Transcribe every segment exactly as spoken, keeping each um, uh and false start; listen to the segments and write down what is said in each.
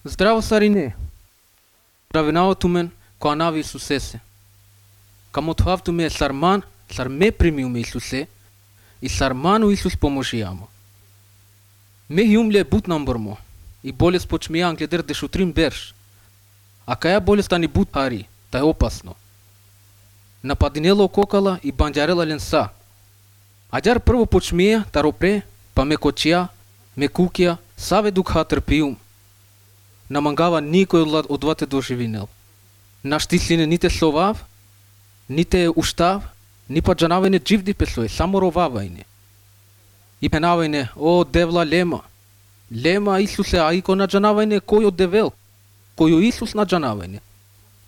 Здраво, Сарине. Равенавато мен, која нави Исусесе. Камотвавто ме е сарман, сар ме примиу ме Исусе, и сарману Исус поможи ама. Ме јумле бут намбормо, и болест почмија англедер дешутрим берш. А каја болеста ни бут пари, та е опасно. Нападинело кокала и банџарела ленса. Аѓар прво почмија, таропре, па ме кочија, ме кукија, саве дукха трпиум. Намангава никој од двате доживинел. Наштислине ните совав, ните уштав, ни па джанавајне дживди песој, само ровавајне. И пенавајне, о девла лема, лема Исусе, а ико на джанавајне кој од девел, кој Исус на джанавајне.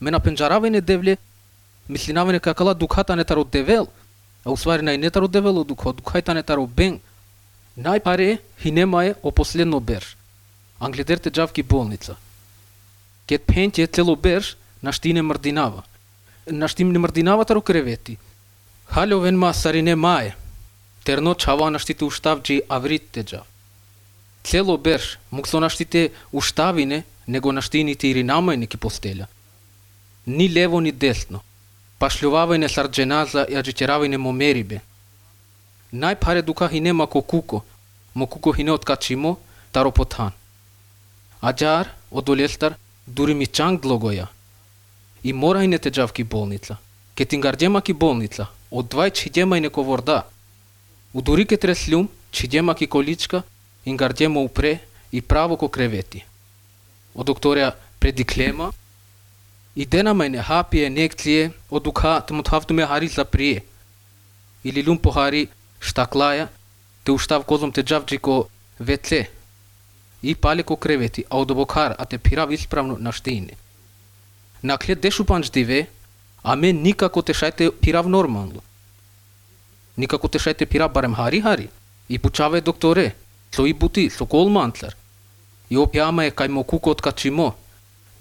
Ме на пенџаравајне девле, мислинавајне какала дукхата не таро девел, а усвари нај не таро девел дукха, дукхајта не таро бен. Најпаре хинема е о последно берш. Англедерте джавки болница. Кет пенте цело берш, наштине мрдинава. Наштине мрдинава таро кревети. Халјовен ма Сарине мае. Терно чава наштите уштавджи авритте джав. Цело берш, муксо наштите уштавине, него наштините иринамајне ки постеля. Ни лево ни десно. Пашлјувавајне сардженаза и аджитеравајне момерибе. Најпаре дука хинема ко куко, мо куко хине откачимо, таро потан. Аѓар, одолестар, дури ми чанг длогоја. И морајне джавки болница. Ке тингарџема ки болница, од двај чиѓемајне ко ворда. Удури ке треслјум, чиѓема ки количка, ингарџема упре и право ко кревети. Од докторија предиклема, и денамајне хапие, некције, од дука тмутхавтуме хари за прие. Или лум похари штаклаја, те уштав козом те джавджи ко веце. И пале ко кревети, а од обокар, а те пирав исправно на штине. Накле дешу панџдиве, а мен никако те шајте пирав нормално. Никако те шајте пирав барем хари-хари. И пучаве докторе, со и бути, со колмантлар. И опјама е кај мо куко откачимо.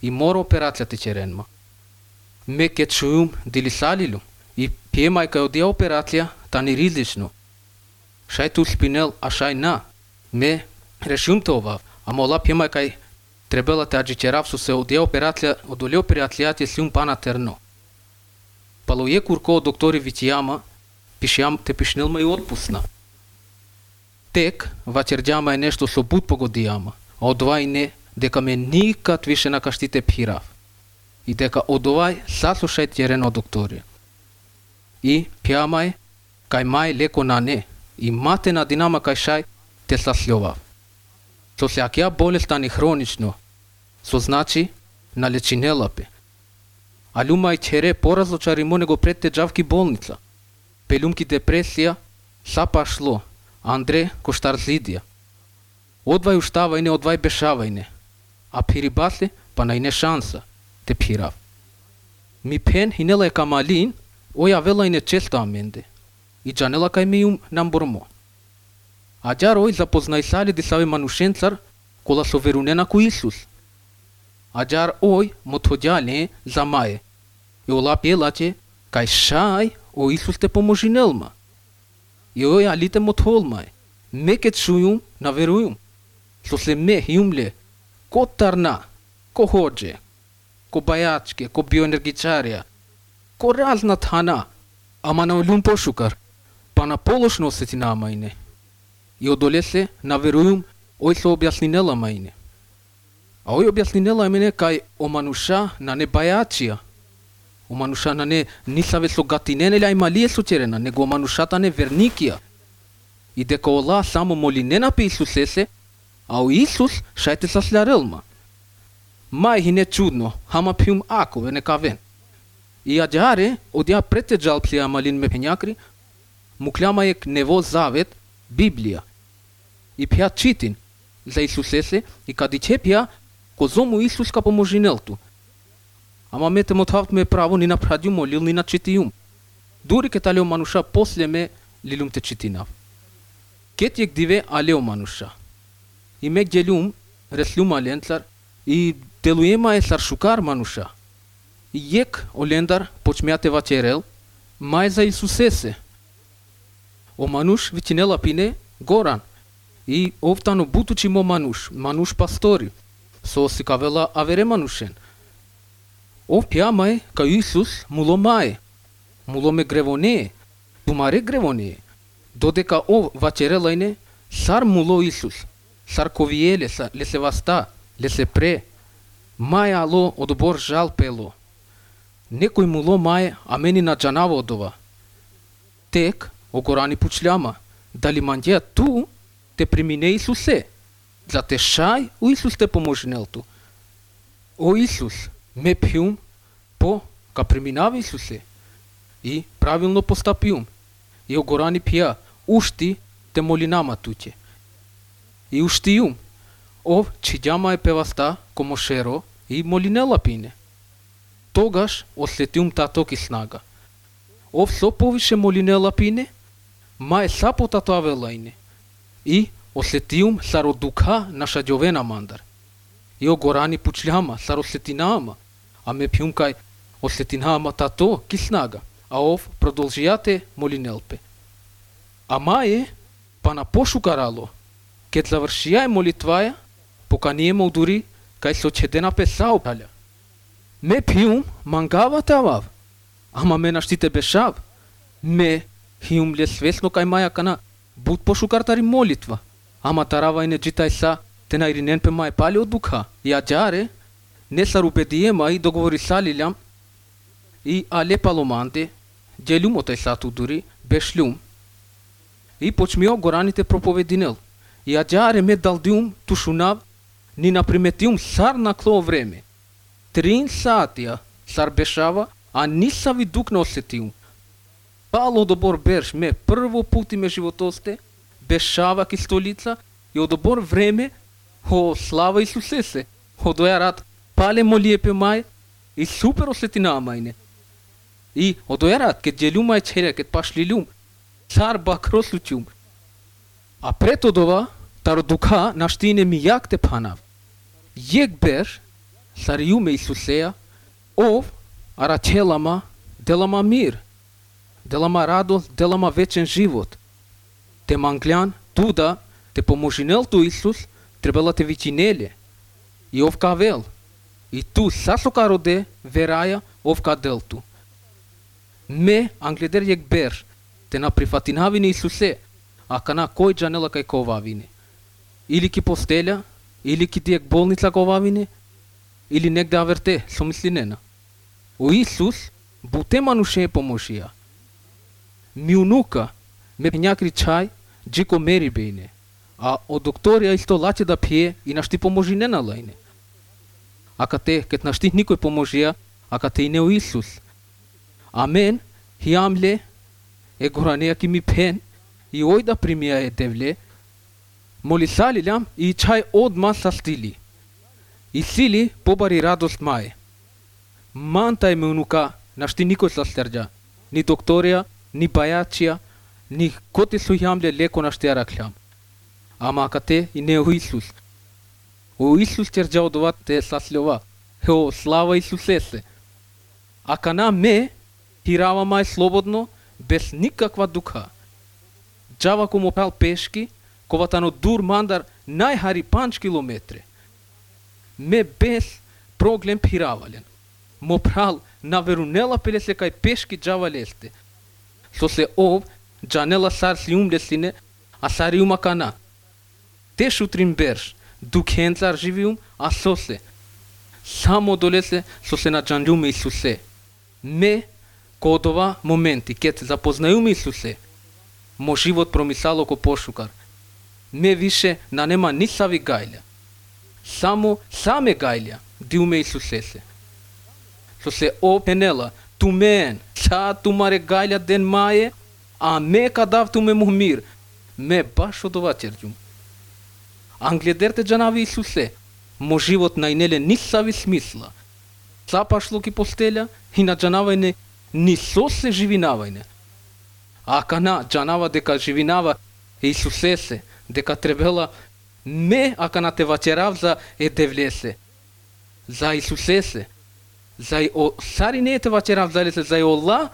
И мора операцијата черенма. Ме ке чујум дили салилу. И пиемај кај одија операција, тани ризлично. Шајте успинел, а шај на. Ме решум те овав, а мола пиемај кај требела те аджичерав со се одија операција, одоле операцијата сиум пана терно. Палоје курко доктори витијама, пишјам те пишнелма и отпусна. Тек, вачерџама е нешто со бут погодијама, а од овај не, дека ме никад више на каштите пирав. И дека од овај саслушај терено докторија. И пијамај, кај мај леко на не, и мате на динама кај шај, те саслјовав. Со сеакија болеста ни хронично, со значи на лечинелапе. А лума и чере поразлочаримо него пред те джавки болница. Пелумки депресија, са пашло, Андре коштарзидија. Одвај уштавајне, одвај бешавајне. А пирибасле, па најне шанса, те пирав. Ми пен хинела е камалин, оја велајне често аменде. И джанела кај ми јум намбормо. Аѓар ој запознај сали дисаве манушенцар, кола со верунена ко Исус. Аѓар ој мотходјале за мае. И ола пелаче, кај шај, о Исус те поможинелма. И ој алите мотхолмај. Ме ке чујум, наверујум. Со се ме јумле, ко тарна, ко хоџе, ко бајачке, ко биоенергичарија, ко разна тана, ама на олум пошукар, па на полошно осетина мајне. И одоле се, наверујум, ој се објаснинела мајне. А ој објаснинела мене кај омануша на не бајачија. Омануша на не нисаве со гатинене ля ималие сочерена, него оманушата не верникија. И дека ола само молинена пе Исусесе, а о Исус шајте саслярелма. Мај хине чудно, хама пиум акове некавен. И аѓаре, одја прете джалплија малин ме пењакри, мукляма ек нево завет, Библија. И пја читин за Исусесе и кади че пја козому Исус ка поможинелту. Ама мете мотхавт ме право ни напрадју молил ни на читијум. Дури ке талео мануша после ме лилум те читинав. Кет јек диве алео мануша. И ме гелум реслум аленцар и делуема е саршукар мануша. И јек олендар почмеате вачерел, мај за Исусесе. О мануш вичинела пине Горан. И овтано бутучи мо мануш, мануш пастори. со си кавела авере манушен. Ов пјамај кај Исус муло мај, муло ме гревоне, тумаре гревоне, додека ов вачерелајне, сар муло Исус, сар ковиеле са лесе васта, лесе пре, мај ало одобор жал пело. Некој муло мај, а мени на джанаво одова. Тек, огорани пучляма, дали мандија ту, те примине Исусе, за те шај, у Исус те поможнелту. О Исус, ме пјум, по, ка преминава Исусе, и правилно постапиум, и огорани пија, ушти те молинама туќе. И уштиум, ов чиѓама е певаста, комошеро, и молинела пине. Тогаш ослетиум таток и снага. Ов со повише молинела пине, ма е сапо татуавелајне. И ослетиум саро дука наша ѓовена мандар. И огорани пучљама саро слетинаама, а ме пјум кај ослетинаама тато ки снага, а ов продолжијате молинелпе. А маје, па на пошукарало, кет завршијај молитваја, поканиемо удури кај со чедена песао паља. Ме пјум мангава тавав, ама ме наштите бешав, ме хиум ле свесно кај маја кана буд пошукартари молитва, ама таравајне джитај са, те најринен пе мај пали од дука, и аджаре, не сар убедиема и договори салилјам, и але паломанде, ѓелјум отај сату дури, бешлјум. И почмио гораните проповединел, и аджаре ме далдиум тушунав, ни наприметиум сар на кло време. Трин сатија сар бешава, а нисави дук не осетиум. Пало одобор берш ме прво пути ме животосте, бешава ки столица, и одобор време, о слава Исусесе, одоја рад, пале молиепе мај, и супер осетина мајне. И одоја рад, ке ѓелјума е черја, ке пашлилјум, цар бакро случиум. А пред одова, таро дука наштине ми јак те панав. Јек берш, сариуме Исусеја, ов, арачелама, делама мир, делама радост, делама вечен живот. Те манглјан, туда, те поможинел ту Исус, требала те вичинеле. И ов кавел, и ту сасокароде, вераја, ов каделту. Ме, англедер јек берш, те на прифатинавине Исусе, а кана кој джанела кај ковавине. Или ки постелја, или ки дијек болница ковавине, или негде аверте, со мислинена. У Исус, буте мануше поможија. Миунука, ме пењакри чај, джико мери бејне, а од докторија исто лаче да пие и нашти поможинена лајне. А кате, кет нашти никој поможија, а кате и не у Исус. Амен, хиамле, е горанеја ки ми пен, и ој да примија е девле, молисалилјам и чај одма са стили. И сили побари радост мај. Манта е ме унука, нашти никој са стерджа, ни докторија, ни бајачија, ни коте со јамле леко нашти араклјам. Ама кате и не у Исус. У Исус терджа одова те саслјова, хео слава Исусесе. А кана ме, хирава мај слободно, без никаква дука. Джава ко му пал пешки, коватано дур мандар најхари панч километре. Ме без проблем пиравален. Мо прал на верунела пелесе кај пешки джава лесте. Со се ов, джанела сар сиум лесине, а сариума кана. Те шутрин берш, дукенцар живиум, а со се. Само долесе со се на джанјуме Исусе. Ме, кодова моменти, кет запознајуме Исусе, мо живот промисало ко пошукар. Ме више на нема ни сави гајлја. Само саме гајлја, диуме Исусесе. Со се опенела, тумен, са тумаре гајлја ден маје, а ме кадав туме му мир. Ме баш од ова черджум. Англедерте джанави Исусе, мо живот најнеле ни сави смисла. Са пашло ки постелја и на джанавајне ни со се живинавајне. А кана джанава дека живинава Исусесе, дека требела ме ака те вачерав за е девлесе. За Исусесе. За и о сари не те вачерав за лесе, за и Ола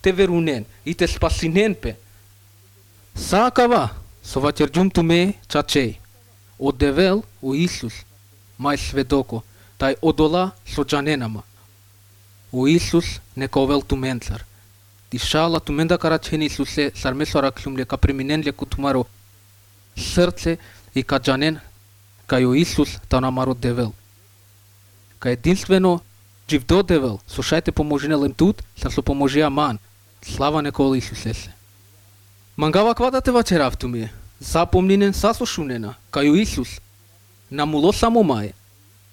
те верунен и те спасинен пе. Сакава, со вачерджум туме чачеј. Од девел у Исус. мај сведоко, тај одола со джаненама. О Исус нека овел туменцар. Дишала туменда карачени Исусе сармесора клюмле ка преминенле кутумаро срце и ка джанен кај о Исус та намаро девел. Ка единствено живдо девел, слушајте поможенелем тут, са со поможија ман. Слава нека ол Исусе се. Мангава квадате вачеравтуми, запомнинен сасошунена, кај о Исус. На муло само мај.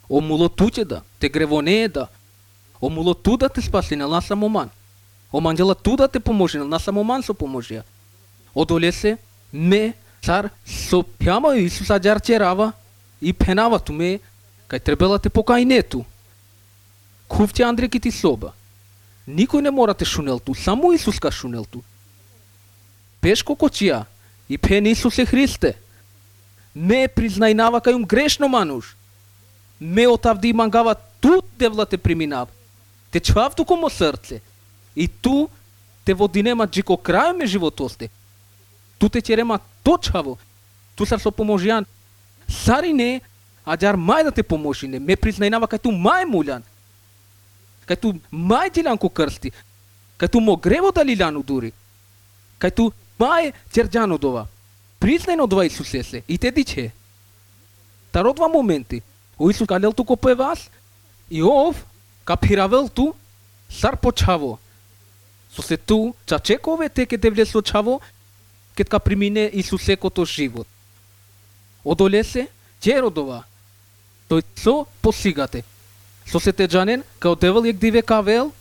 О муло тучеда, те гревонееда. О муло туда те спасинел на самоман. О манджела туда те поможенел на самоман со поможија. Одолесе ме цар со пјама Исус аджарчерава и пенава туме кај требела те покајнету. Кувте Андре ки ти соба. Никој не мора те шунел ту, само Исус ка шунел ту. Пешко кочија и пен Исусе Христе. Ме признајнава кајум грешно мануш. Ме отавди мангава тут девла те приминав. Те чвав туко мо срце. И ту те водинема джико крај ме животосте. Ту те черема точаво. Ту сар со поможјан. Сари не, аджар мај да те поможине. Ме признајнава кај ту мај муљан. Кај ту мај диланко крсти. Кај ту мо грево да лиляну дури. Кај ту мај черджано дова. Признајно дова Исусе се. И те диче. Тародва моменти. О Исус калел туко пе вас. И ов капиравел ту сар почаво. Со се ту чачекове те ке те влесо чаво кет ка примине Исусе кото живот. Одолесе черодова. Тој со посигате. Со се те джанен као девел јек диве кавел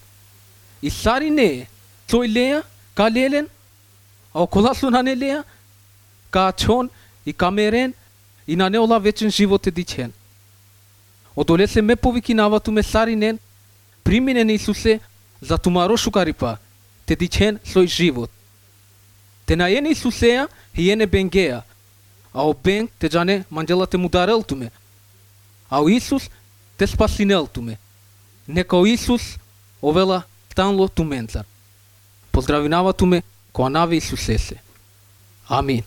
и сари не тој леја ка лелен а окола со на не леја ка чон и камерен и на не ола вечен живот е дичен. Одолесе ме повикинава ту ме саринен приминен Исусе за тумаро шукарипа те дичен сој живот. Те најен Исусеја и ене бенгеја, а о бенг те джане манджела те мударел туме, а о Исус те спасинел туме. Нека о Исус овела танло туменцар. Поздравинава туме која наве Исусе се. Амин.